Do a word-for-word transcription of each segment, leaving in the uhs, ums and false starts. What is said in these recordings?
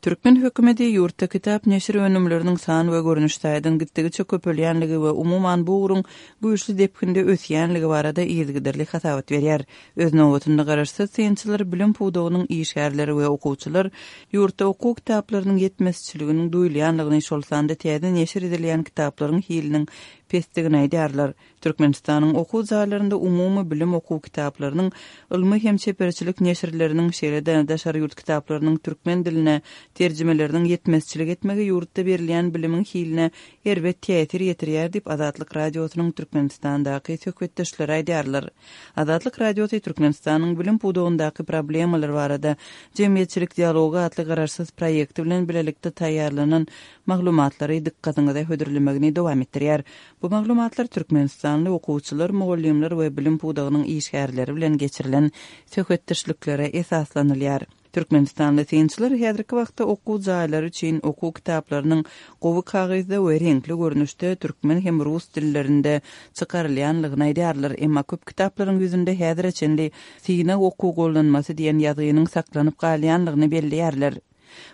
Türkmen hökümeti ýurtda kitap neşir önümleriniň san we görnüş taýdan gitdigiçe köpelýänligi we umuman bu ugruň güýçli depginde ösýänligi barada yzygiderli hasabat berýär. Öz nobatynda garaşsyz synçylar, bilim pudagynyň işgärleri we okuwçylar ýurtda okuw kitaplarynyň ýetmezçiliginiň duýulýanlygyny, şol sanda täze neşir edilýän kitaplaryň hiliniň pesdigini aýdýarlar. Türkmenistanyň okuw jaýlarynda umumy bilim okuw kitaplarynyň, ylmy hem çeperçilik neşirleriniň, şeýle-de daşary ýurt kitaplarynyň türkmen diline terjimeleriniň ýetmezçilik etmegi ýurtda berilýän bilimiň hiline erbet täsir ýetirýär diýip, Azatlyk Radiosynyň Türkmenistandaky söhbetdeşleri aýdýarlar. Azatlyk Radiosy Türkmenistanyň bilim pudagyndaky problemalar barada Jemgyýetçilik dialogy atly garaşsyz proýekti bilen bilelikde taýýarlanan maglumatlary dykgatyňyza hödürlemegini dowam etdirýär. Bu maglumatlar türkmenistanly okuwçylar, mugallymlar we bilim pudagynyň işgärleri bilen geçirilen söhbetdeşliklere esaslanylýar. Türkmenistanly synçylar häzirki wagtda okuw jaýlary üçin okuw kitaplarynyň gowy kagyzda we reňkli görnüşde türkmen hem rus dillerinde çykarylýanlygyny aýdýarlar. Emma köp kitaplaryň ýüzünde häzire çenli synag okuw gollanmasy diýen ýazgynyň saklanyp galýanlygyny belleýärler.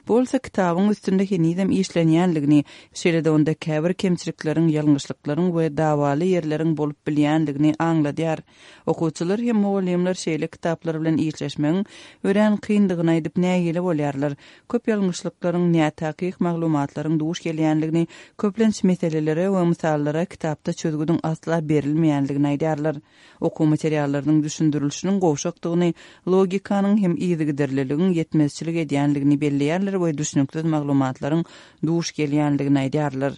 Bu bolsa kitabyň üstünde henizem işlenýänligini, şeýle-de onda käbir kemçilikleriň, ýalňyşlyklaryň we dawaly ýerleriň bolup bilýänligini aňladýar. Okuwçylar hem mugallymlar şeýle kitaplar bilen işleşmegiň örän kyndygyny aýdyp nägile bolýarlar. Köp ýalňyşlyklaryň, nätakyk maglumatlaryň duş gelýänligini, köplenç meselelere we mysallara kitapda çözgüdiň asla berilmeýänligini aýdýarlar. Okuw materiallarynyň düşündirilişiniň gowşakdygyny, logikanyň hem yzygiderliligiň ýetmezçilik edýänligini belleýärler we düşnüksiz maglumatlaryň duş gelýänligini aýdýarlar.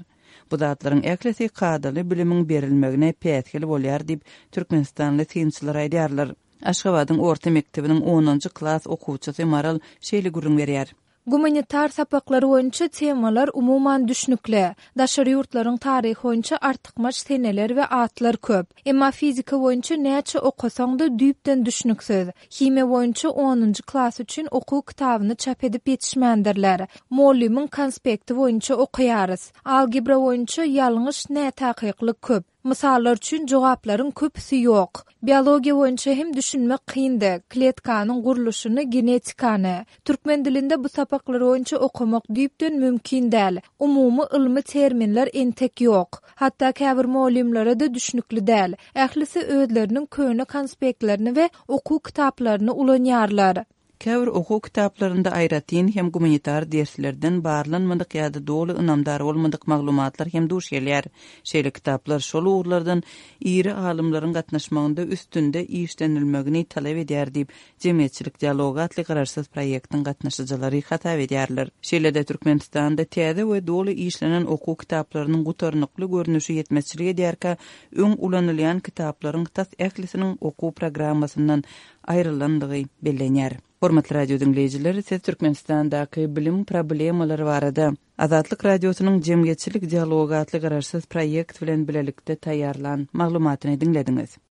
Bu zatlaryň ählisi kadaly bilimiň berilmegine päsgel bolýar diýip, türkmenistanly synçylar aýdýarlar. Aşgabadyň orta mekdebiniň onunjy klas okuwçysy Maral şeýle gürrüň berýär. Gumanitar sapaklary boýunça temalar umuman düşnükli. Daşary ýurtlaryň taryhy boýunça artykmaç seneler we atlar köp. Emma fizika boýunça näçe okasaň-da düýpden düşnüksiz. Himiýa boýunça onunjy klas üçin okuw kitabyny çap edip ýetişmändirler. Mugallymyň konspekti boýunça okaýarys. Algebra boýunça ýalňyş nätakyklyk köp. Mysallar üçin jogaplaryň köpüsi ýok. Biologiýa boýunça hem düşünmek kyndy. Kletkanyň gurluşyny, genetikany. Türkmen dilinde bu sapaklar boýunça okamak düýpden mümkin däl. Umumy ylmy terminler entek ýok. Hatda käbir mugallymlara-da düşnükli däl. Ählisi özleriniň köne konspektlerini we okuw kitaplaryny ulanýarlar. Käbir okuw kitaplarynda aýratyn hem gumanitar derslerden barlanmadyk ýa-da doly ynamdar bolmadyk maglumatlar hem duş gelýär. Şeýle kitaplar şol ugurlardan iri alymlaryň gatnaşmagynda üstünde işlenilmegini talap edýär diýip, Jemgyýetçilik dialogy atly garaşsyz proýektiň gatnaşyjylary hasap edýärler. Şeýle-de Türkmenistanda täze we doly işlenen okuw kitaplarynyň gutarnykly görnüşi ýetmezçilik edýärkä, öň ulanylýan kitaplaryň tas ählisiniň okuw programmasyndan aýrylandygy bellenýär. Hormatly radio diňleýjiler, siz Türkmenistandaky bilim problemalary barada Azatlyk Radiosynyň Jemgyýetçilik dialogy atly garaşsyz proýekt bilen bilelikde taýýarlan maglumatyny diňlediňiz.